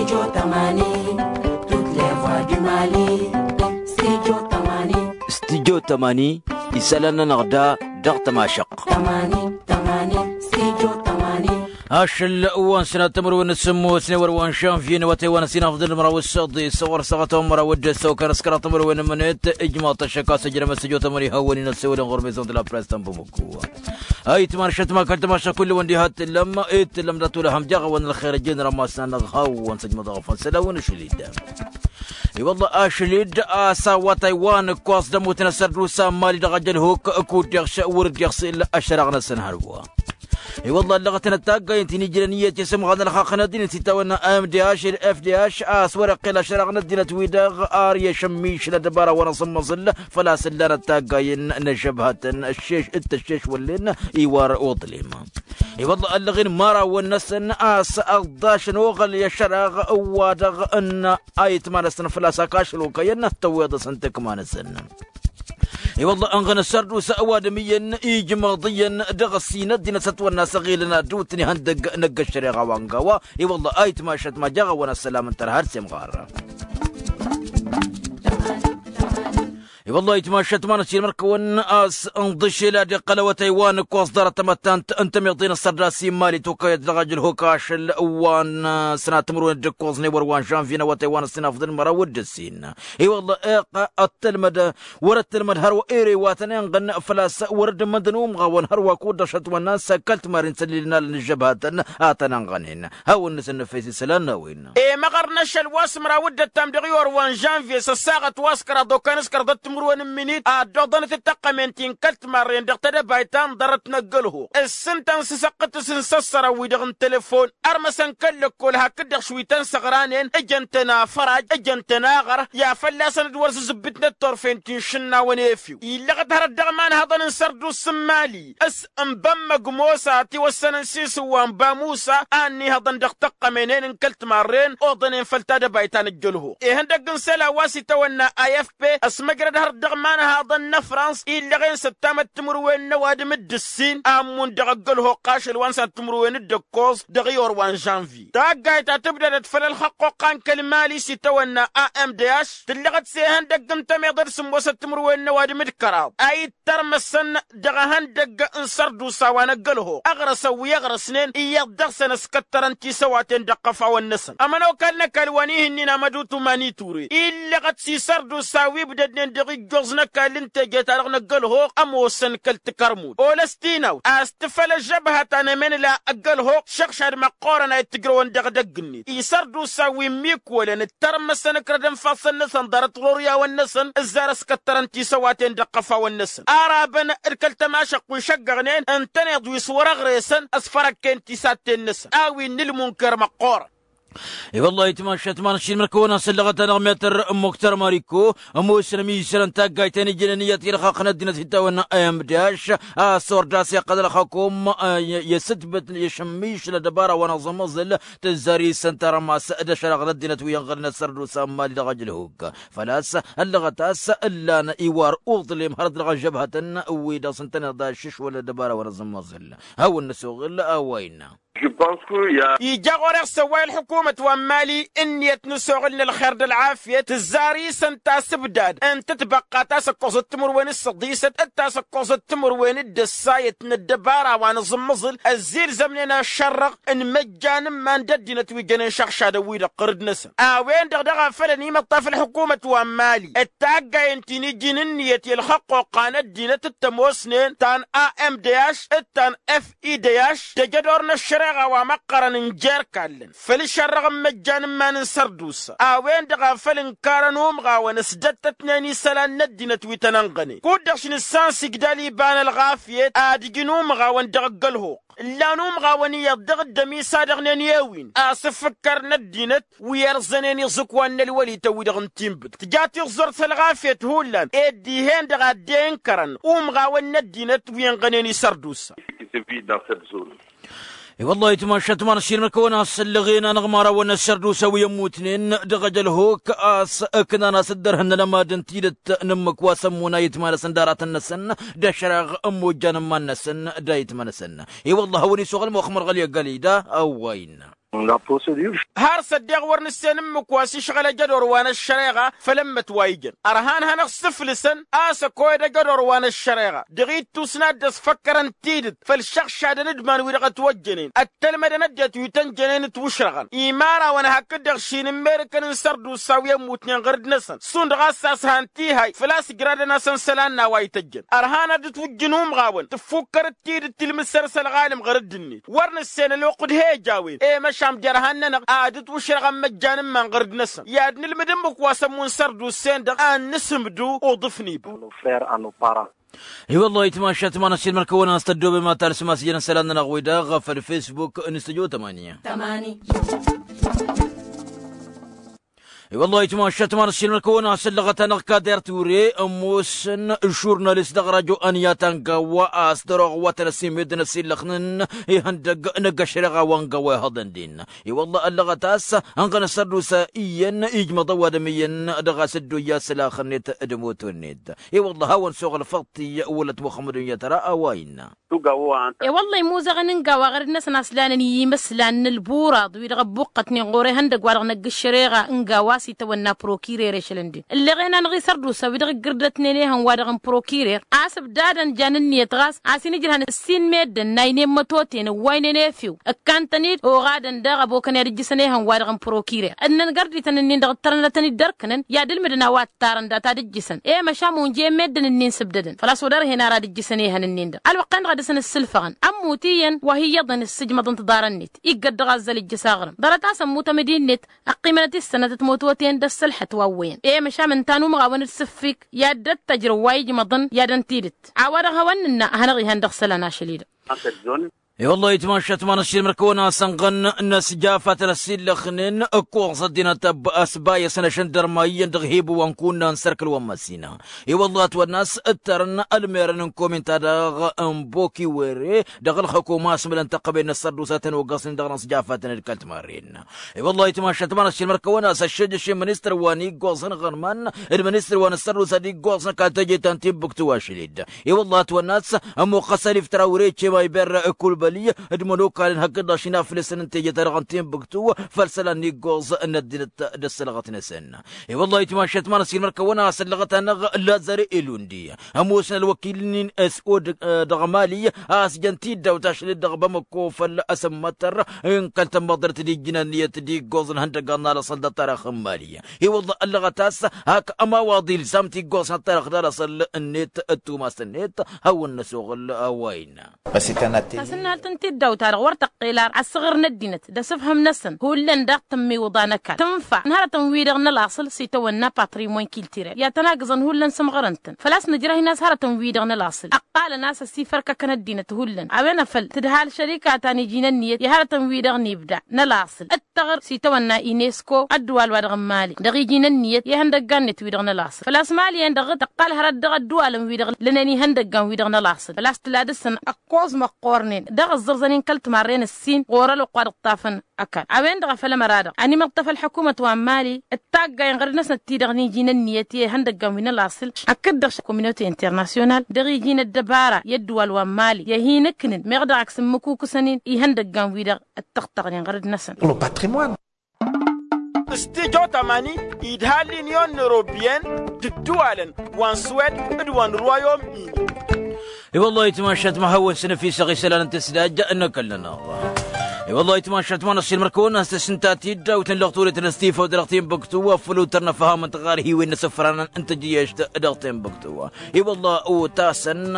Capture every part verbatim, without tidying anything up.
Studio tămani. Studio tămani. Isălan-nănăɣ da dăɣ-tămašăɣt. Ašăl wa n-sănat timǝrwen n-sǝmmosne wăr wa n-žănvye n-awătay wa n-ăsinafḍăn măraw s-săḍi s-ɣur-săɣăt wa n-măraw d-săw kănăskăraḍ timǝrwen n-mănet ijmaḍ-t ăššăk a-s ăjrămăt s-ăjo tămăni hawăn-in ăssewălăn ɣur-mezănt la press tănbămăkku. Ayǝtman ašăt ma kăl-tămašăk kull-wăn diha t-tǝllăm i t-tǝllăm dat-wăla ham jaɣ-awăn ălxer ăjjeen rămas n-anăɣ hawăn-săjmăḍ ăɣfăn sălawăn ašăl-dd. I-wălla ašăl-dd a-s awătay wa n-ǝkkoẓ d-ămmutăn asărdusa n-mali dăɣ-ajălhuk kud-deɣš wăr-dd-iɣsǝl ăššăraɣ-năsăn hărwa. I-wălla ăllăɣătăn ăttaggay ǝnta-i n-ijrăn iyyăt i-sǝmɣan ălxaqq n-ăddinăt s-itawănna m d h d f d h a-s wăr-iqqel ăššăraɣ n-ăddinăt-wi-dăɣ ar i-ašămmišăl ăddăbara wa n-aẓǝmmăẓǝl făl-a-s ǝllan ăttaggayen n-ăžžăbhătăn d-tăššeš wăllen iwar uḍlem. I-wălla ăllăɣen imărawăn-năsăn a-s ăḍḍašăn oɣăl i-ăššăraɣ wa dăɣ-ănn ayǝtma-năsăn făl-a-s ăkašăl okăyăn tăwweḍ-asăn tăkma-năsăn. I-wălla ănɣăn ăssărdusa ăwadǝm iyyăn ijmăḍ iyyăn dăɣ-ăssin ăddinăt s-ătwănna s-ăɣilăn ad-dd-utni ihăndăgg n-ăgg-ăššăreɣa wa n-gawa. I-wălla ayǝtma ašăt ma jaɣ-awăn ăssălam ǝnta ărhar s-imɣar. I-wălla ayǝtma ašăt ma n-ăssin mărkăwăn a-s ǝnḍǝšel ad-iqqăl awătay wa n-ǝkkoẓ ḍarăt tamăttant n-tămiḍe n-ăssărdas i-mali tokăyăt dăɣ-ajǝlhok ašăl wa n-sănat timǝrwen d-ǝkkoẓ n-ewăr wa n-žănvye n-awătay wa n-ăssinafḍăn măraw d-ǝssin. I-wălla iqq ăttălmăd wăr-ăttălmăd hărwa ere wa tăn-inɣăn făl-a-s wăr-dd-măndăn umɣawăn hărwa kud-dăɣ šătwănna n-săkkălt maren s-ăllilăn alăn ǝžžăbhatăn a tăn-inɣănen. Hawăn-năsăn nǝfes isălan n-a-wen. Emăɣăr n-ašăl wa s-măraw d-ăttam dăɣ-iwăr wa n-žănvye s-ăssaɣăt wa s-kăraḍ okănăskăr d-timǝrwen n-minit ad-dd-oḍănăt d-taqqămen ti n-kălt-marren dăɣ-tedăbayt ta n-ḍarăt n-ăgg-ălhuɣ. Ǝssǝn-tăn s-asăqqǝtǝs n-isăssărăn-wi-dăɣ n-telefon ărmăsăn kăl-lăkkol hakd-dăɣ šwi tăn-săɣranen ǝjăn-tăn afăraj ǝjăn-tăn aɣăr i-ad-fălla-săn dd-wăr zǝzǝbbǝtnăt turfen ti n-išǝnnawăn efew illăɣ-dd hărăt dăɣ-imanhăḍăn n-sărduss n-mali. S-ănbămmăg mosa tiwăssănăn s-isǝwwa n-bamusa a ănnihăḍăn dăɣ-tăqqămenen n-kăl-timarren oḍănen făll-tadăbayt ta n-ăjjălho. Ihăndăgg n-isălan wa s-itawănna i f p ăsmăjrăd hărăt dăɣ-imanhăḍăn n-ăfrans illăɣen s-ăttamăt timǝrwen n-ăwadǝm d-ǝssin a ǝmmun dăɣ-ăgg-ălho ɣašăl wa n-sănat timǝrwen d-ǝkkoẓ dăɣ-iwăr wa n-žănvye. Taggayt ta tǝbdădăt făll-ălxăqq oqqa n-kăl-mali s-itawănna a m d h tǝllăɣăt s-ehăndăgg n-tămiḍe d-sǝmmosăt timǝrwen n-ăwadǝm d-kăraḍ a ittărmăsăn dăɣ-ehăndăgg n-sărdusa wa n-ăgg-ălho. Ăɣrăsăn wi ăɣrăsnen iyyăḍ dăɣ-săn ăskăttărăn tisăwaten dăɣ-iqăfawăn-năsăn ămănokal n-ăkall wa n-ihǝnnin amădutu mani ture illăɣăt s-isărdusa wi ǝbdădnen dăɣ-ijjoẓ n-ăkall n-teje-ta-dăɣ n-ăgg-ălho ămoosăn kăl-tikărmut olăs tinawt a-s tǝfăl ăžžăbhăt a n-emănla ăgg-ălho šăɣšad măqqoorăn a ittǝjrăwăn dăɣ-edăgg-net. Isărdusa wi ǝmmikwălăn ǝttărmăsăn ǝkrădăn ifassăn-năsăn ḍarăt ɣur-iyyawăn-năsăn ǝzzar ăskăttărăn tisăwaten dăɣ-iqăfawăn-năsăn. Arabăn d-kăl-tămašăɣt wi šăggăɣnen ǝntăneḍ wi s-wăr-ăɣresăn ăsfărăkken tisatten-năsăn a-wi n-ǝlmunker măqqoorăn. I-wăllah itmašat ma n-ašilmăr kăwăn-asăllăɣăt-anăɣ metăr n-muktăr mariko ămoosăn ămizărăn taggayt ta n-ijnăn iyyăt i-ălxaqq n-ăddinăt hittawăn. Imdaš a-s ordas iqqăl ălxakum i-asǝtbǝt i-ašămmiš n-ăddăbara wa n-aẓǝmmăẓǝl tǝzzar-isăn tarămas d-ašăraɣ n-ăddinăt wi ănɣălăn ăssărdusa n-mali dăɣ-ajǝlhuk. Făl-a-s ăllăɣăt a-s ǝllan iwar uḍlem hărăt dăɣ-ăžžăbhătăn wi-dăɣ s-ǝntăneḍ aššǝšwăl ăddăbara wa n-aẓǝmmăẓǝl. Hawăn-năsoɣǝl a-wa innă. Ija ɣur-e ăssăwway ălḥukumăt wa n-mali ǝnniyăt n-asoɣǝl n-ălxer d-ălɣafyăt tǝzzar-isăn tasǝbdad n-tǝtbăqqa ta s-ăkkoẓăt timǝrwen d-săḍisăt d-ta s-ăkkoẓăt timǝrwen d-ăssayăt n-ăddăbara wa n-aẓǝmmăẓǝl ăzzilzămnen ašărrăɣ n-imăjjan n-iman d-ăddinăt wi jănen šăɣšadăn-wi-dăɣ ɣǝrǝd-năsăn. A-wen-dăɣ daɣ a făl ănimăṭṭaf ălḥukumăt wa n-mali d-taggayen ti n-iji n-ǝnniyăt i-ălxăqq oqqa n-ăddinăt d-tămoosnen ta n-a m d h d-ta n-f i d h tejădor n-ăššăreɣa wa măqqărăn n-jer-kallăn făll-išărrăɣ n-imăjjan n-iman n-sărdusa. A-wen-dăɣ a făl ǝnkarăn umɣawăn ăsdăttătnen isălan n-ăddinăt wi tăn-ănɣănen kud-dăɣ š-nǝssan s-igdal iba n-ălɣafyăt ad-ǝjǝn umɣawăn dăɣ-ăgg-ălhuq. Ǝllan umɣawăn iyyăḍ dăɣ-dd-ămisa dăɣ-nen i-ewin a-s ǝfǝkkărăn ăddinăt wi ărẓănen iẓǝkwan n-ălwălităn-wi-dăɣ n-tinbǝkt tǝja tiẓẓurt s-ălɣafyăt hullan ed dihen-dăɣ a dd-e-ǝnkărăn umɣawăn n-ăddinăt wi ănɣănen isărdusa. I-wăllah itmašat ma n-ašilmăr kăwăn-asăllăɣen anăɣ-imărawăn n-ăssărdusa wi ămmutnen dăɣ-ejălhok a-s ǝknan a-s dd-ărhǝnnăn ămadăn tidǝt n-ǝmmǝk wa s-ămmun ayǝtma-năsăn d-aratăn-năsăn d-ašăraɣ n-imojjan n-iman-năsăn d-ayǝtma-năsăn. I-wăllah a-wen isuɣǝl moxmăr ɣăli ăgg-ălida a-wa innă. Har s-ăddeɣ wăr nǝssen ǝmmǝk wa s-išɣăl ăjădor wa n-ăššăreɣa făll-ǝmmǝt wa ijăn ărhan hanăɣ-sǝflǝsăn a-s ăkoyăd ăjădor wa n-ăššăreɣa dăɣ-ittus n-ad-dd-ăsfăkkărăn tidǝt făll-išăɣšadăn d-iman-wi-dăɣ ătwăjjănen ăttălmădăn ăddinăt wi tăn-jănen ǝtwǝšrăɣăn. Imărawăn hakd-dăɣ šin n-merǝkăn n-sărdusa wi ămmutnen ɣăr-dd-năsăn šund ɣas a-s han tihay făl-a-s ǝjradăn-asăn isălan n-a-wa ităjjăn ărhan ad-dd-twǝjjǝn umɣawăn tǝffukkăr-dd tidǝt tilmǝd săr-s ălɣalǝm ɣăr dd-net. Wăr nǝssen ălwăqq d-he-ăj a-wen e-măšan jer-han-nănăɣ ad-ǝtwǝšrăɣ ămmăjjan n-iman ɣăr dd-năsăn i-ad-nǝlmǝd ǝmmǝk wa s-ămmun sărdusen-dăɣ ad-nǝsǝmdǝw uḍǝf n-iba. I-wăllah itmašat ma n-ašilmăr kăwăn-as tăddoobem ad-talsǝm a-s ijăn isălan-nănăɣ wi-dăɣ făll-fesbuk n-stujo tămani. I-wăllah itmašat ma n-ašilmăr kăwăn-as ăllăɣăt-anăɣ kader ture ămoosăn žurnalist dăɣ-rajo ăniyat ăngawa a-s dăr-oɣ wa tăn-ăssimeddǝn ăsillăxnen ihăndăgg n-ăgg-ăššăreɣa wa ăngawa ihăḍăn-den. I-wălla ăllăɣăt a-s ănɣăn ăssărdusa iyyăn ijmăḍ ăwadǝm iyyăn dăɣ-a-s dd-oyya sălax-net d-moto-net. I-wălla hawăn-soɣăl făṭṭi wălăt muxămmăd unyăt ara a-wa innă. I-wălla imuzăɣăn n-gawa ɣăr-dd-năsăn a-s lanăn i-imăslan n-ălburaḍ wi-dăɣ ăbbuqqătnen ɣur-ehăndăgg-wa-dăɣ n-ăgg-ǝššăreɣa n-gawa a-s itawănna prokirer ešălăn-den ǝlleɣen-anăɣ isărdusa wi-dăɣ ǝggǝrdătnen ehăn-wa-dăɣ n-prokirer a-s ǝbdadăn jan ǝnniyăt ɣas a-s inǝjrăhăn ǝssin meddǝn n-aynen mătoten ǝwwaynen efew ǝkkantăn-dd oɣadăn daɣ ăbokăn i-ad-ǝjjǝsăn ehăn-wa-dăɣ n-prokirer ǝnnăn gărdităn-ǝnnin-dăɣ ǝttărăn ad-tăn-dd-ărkǝnăn i-ad-ǝlmǝdăn a-wa ǝttarăn data d-ǝjjǝsăn. I-măšan munje meddǝn-ǝnnin sǝbdădăn făl-a-s wăr dăr-hen ara ad-ǝjjǝsăn ehăn-ǝnnin-dăɣ ălwăqq-en-dăɣ a dăr-săn ǝssǝlfăɣăn ămmut iyyăn wa hi-iyyăḍăn ǝssǝjmăḍăn tiḍarăn-net iggăt dăɣ-azzăl ǝjjǝs aɣrǝm ḍarăt-as ămmut amădin-net ăqqiimănăt issănătăt mototen d-ăssălḥăt wa ǝwwăyăn. I-măšan ǝnta n-umɣawăn d-sǝffik i-ad-dd-ăttăjrǝw wa ijmăḍăn i-ad-ăntidǝt a-wa-dăɣ hawăn-nǝnna a hanăɣ-ihăn dăɣ-isălan ašăl-i-dăɣ. I-wăllah itmašat ma n-ašilmăr kăwăn-asănɣăn n-asjafatăn ăsillăxnen ǝkkoẓ ăddinăt ăsbayăsăn ašăndărma iyyăn dăɣ-hibu wa n-kunna n-sărkǝl wa n-măssină. I-wăllah ătwănna a-s ǝttărăn ălmerăn n-komintadăɣ n-bokiwere dăɣ-ălxăkuma a-s mǝlăn tăqqăben n-ăssărdusa tăn-ogăsnen dăɣ-inăsjafatăn d-kăl-timarren. I-wăllah itmašat ma n-ašilmăr kăwăn-asăššăjăš i-ministăr wa n-iggoẓăn ɣărman d-ministăr wa n-ăssărdusa d-iggoẓăn kăl-teje ta n-tinbǝktu ašăl-dd. I-wăllah ătwănna a-s ămmuqqăs ăliftăra wăr-e cema iberra ǝkulbăli d-imănokalăn hakd-dăɣ šinaflǝsăn n-teje-ta-dăɣ n-tinbǝktu făll-isălan n-iggoẓ n-ăddinăt d-ăssălɣăt-năsăn. I-wăllah itmašat ma n-ašilmăr kăwăn-asăllăɣăt-anăɣ lazare ilundi ămoosăn ălwăkil-nin s o dăɣ-mali a-s jăn tiddawt ašăl-dd dăɣ-bamăkko făll-asǝmmătăr n-kăl-tămmăḍrăt d-ijjǝn ănniyăt d-iggoẓ n-ihăndăggan n-alăṣăl d-ăṭṭarăɣ n-mali. I-wăllah ăllăɣăt a-s hak ămawaḍ ilzam tiggoẓ n-ăṭṭarăɣ d-alăṣăl-net d-tumas-net. Hawăn-năsoɣăl a-wa innă. Tasǝnnalt n-tiddawt-ta-dăɣ wăr tăqqel ar asǝɣǝr n-ăddinăt d-asǝfhǝm-năsăn hullan daɣ tǝmmiwǝḍa n-ăkall tǝnfa n-hărătăn-wi-dăɣ n-ălaṣăl s-itawănna patrimon kiltirel i-ad-tăn-agǝẓăn hullan sǝmɣărăn-tăn făl-a-s nǝjrăh-in a-s hărătăn-wi-dăɣ n-ălaṣăl ăqqalăn a-s ăsifărkăkăn ăddinăt hullan a-wen afăl tǝdhal šărika ta n-iji n-ǝnniyăt i-hărătăn-wi-dăɣ n-ibda n-ălaṣăl d-tăɣr s-itawănna inesko ăddǝwal-wa-dăɣ n-mali dăɣ-iji n-ǝnniyăt i-ihăndăggan-net-wi-dăɣ n-ălaṣăl făl-a-s mali-en-dăɣ tăqqal hărăt dăɣ-ăddǝwalăn-wi-dăɣ lănen ihăndăggan-wi-dăɣ n-ălaṣăl făl-a-s tǝla dăɣ-săn ăkkoẓ măqqornen dăɣ-ǝẓẓărẓănen kăl-timarren ǝssin ɣur-ălwăqq wa dăɣ-tafăn ăkall a-wen-dăɣ a făl ămăra-dăɣ ănimăḍtăf ălḥăkumăt wa n-mali d-taggayen ɣăr-năsnăt-ti-dăɣ n-iji n-ǝnniyăt i-ihăndăggan wi n-ălaṣǝl hakd-dăɣ communauté international dăɣ-iji n-ăddăbara i-ăddǝwal wa n-mali i-ad-hin-ǝknǝn meɣ dăɣ-ak s-ǝmmǝkukǝsăn-in ihăndăggan-wi-dăɣ ǝttăɣtăɣnen ɣăr-dd-năsăn. Stujo tamani idha l'union européenne d-ǝddǝwalăn wa n-suwed d-wa n-royaume-uni. I-wăllah itmašat ma hawăn-săn ăfisăɣ isălan n-tǝsdaj n-ăkall-nănăɣ. I-wăllah itmašat ma n-ăṣṣilmăr kăwăn-as tǝsǝnta tiddawt n-lăɣturit n-ăstifăw dăɣ-tinbǝktu afăl utăr n-ăfham n-tiɣarhiwen n-asǝfran n-tǝjjăyešt dăɣ-tinbǝktu. I-wăllah utasăn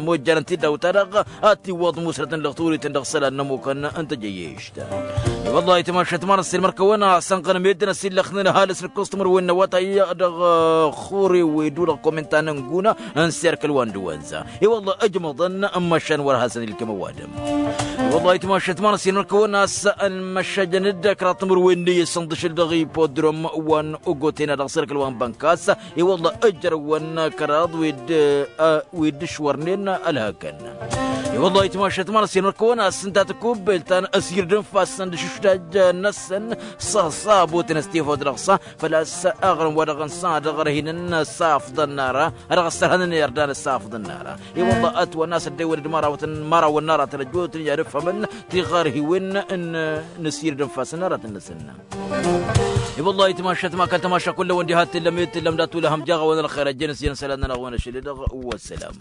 mojjanăn tiddawt-ta-dăɣ ad-tiwwăḍ musrăt n-lăɣturit dăɣ-isălan n-ămukăn n-tǝjjăyešt. I-wăllah itmašat ma n-ăṣṣilmăr kăwăn-as ănɣăn meddǝn ăsillăxnen ăhalǝs n-ǝkkuẓ timǝrwen n-awătay dăɣ-xure wi-dd-ulăɣ kominta n-ăngună n-serkăl wa n-dăwănza. I-wăllah ǝjmăḍăn n-măšan wăr hasăn-ilkăm ăwadǝm. I-wăllah itmašat ma n-ăṣṣilmăr kăwăn-as ănmăššajăn-dd kăraḍ timǝrwen n-iyyăt s-ǝnḍǝšǝl dăɣ-ipodrom wa n-ogoten a dăɣ-serkăl wa n-bănkas. I-wăllah ǝjrăwăn kăraḍ wi-dd wi-dd ǝšwărnen ălhăkăn. Wăllah itmašat ma n-asirmăr kăwăn-asǝnta tăkubbelt ta n-asir d-infasăn d-ašuštaj-năsăn. S-sabotăn s-tifăw d-dăɣ-sa făl-a-s aɣrǝm wa dăɣ-nǝssan dăɣ-rǝhinăn s-afḍăn n-ara a dăɣ-ăssărhănăn irdan s-afḍăn n-ara. I-wăllah ătwănna s-ăddewănăd mărawătăn mărawăn n-aratăn ăjjootnen i-ad-ǝffămăn tiɣărhiwen n-asir d-infasăn n-aratăn-năsăn. I-wăllah itmašat ma kăl-tamaša kullăwăn diha t-tǝllăm i-tǝllăm dat-ulăhăm jaɣ-awăn ălxer ăjjăn s-iyyăn isălan-nănăɣ wa n-ašăl-i-dăɣ. Wăssălam.